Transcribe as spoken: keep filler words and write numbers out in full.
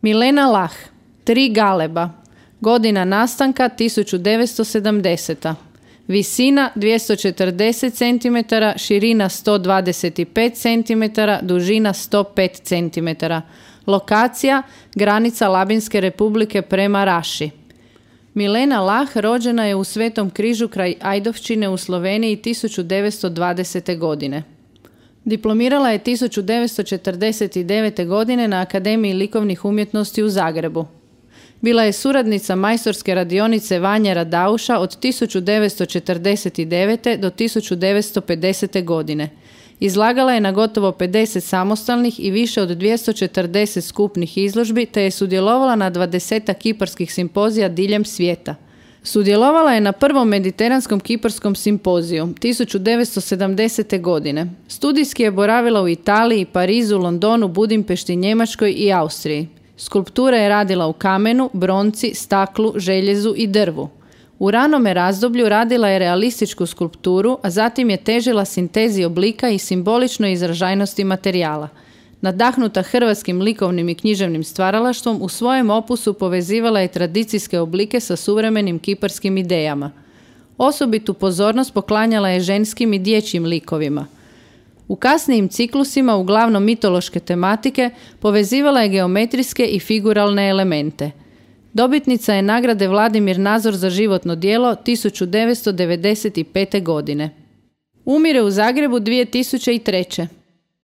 Milena Lah, Tri galeba. Godina nastanka tisuću devetsto sedamdeseta. Visina dvjesto četrdeset centimetara, širina sto dvadeset pet centimetara, dužina sto pet centimetara. Lokacija granica Labinske republike prema Raši. Milena Lah rođena je u Svetom Križu kraj Ajdovčine u Sloveniji tisuću devetsto dvadesete godine. Diplomirala je tisuću devetsto četrdeset devete. godine na Akademiji likovnih umjetnosti u Zagrebu. Bila je suradnica majstorske radionice Vanje Radauša od tisuću devetsto četrdeset devete. do tisuću devetsto pedesete. godine. Izlagala je na gotovo pedeset samostalnih i više od dvjesto četrdeset skupnih izložbi, te je sudjelovala na dvadesetak kiparskih simpozija diljem svijeta. Sudjelovala je na prvom mediteranskom kiparskom simpoziju tisuću devetsto sedamdesete. godine. Studijski je boravila u Italiji, Parizu, Londonu, Budimpešti, Njemačkoj i Austriji. Skulpture je radila u kamenu, bronci, staklu, željezu i drvu. U ranome razdoblju radila je realističku skulpturu, a zatim je težila sintezi oblika i simboličnoj izražajnosti materijala. Nadahnuta hrvatskim likovnim i književnim stvaralaštvom, u svojem opusu povezivala je tradicijske oblike sa suvremenim kiparskim idejama. Osobitu pozornost poklanjala je ženskim i dječjim likovima. U kasnijim ciklusima, uglavnom mitološke tematike, povezivala je geometrijske i figuralne elemente. Dobitnica je nagrade Vladimir Nazor za životno djelo tisuću devetsto devedeset pete. godine. Umire u Zagrebu dvije tisuće treće.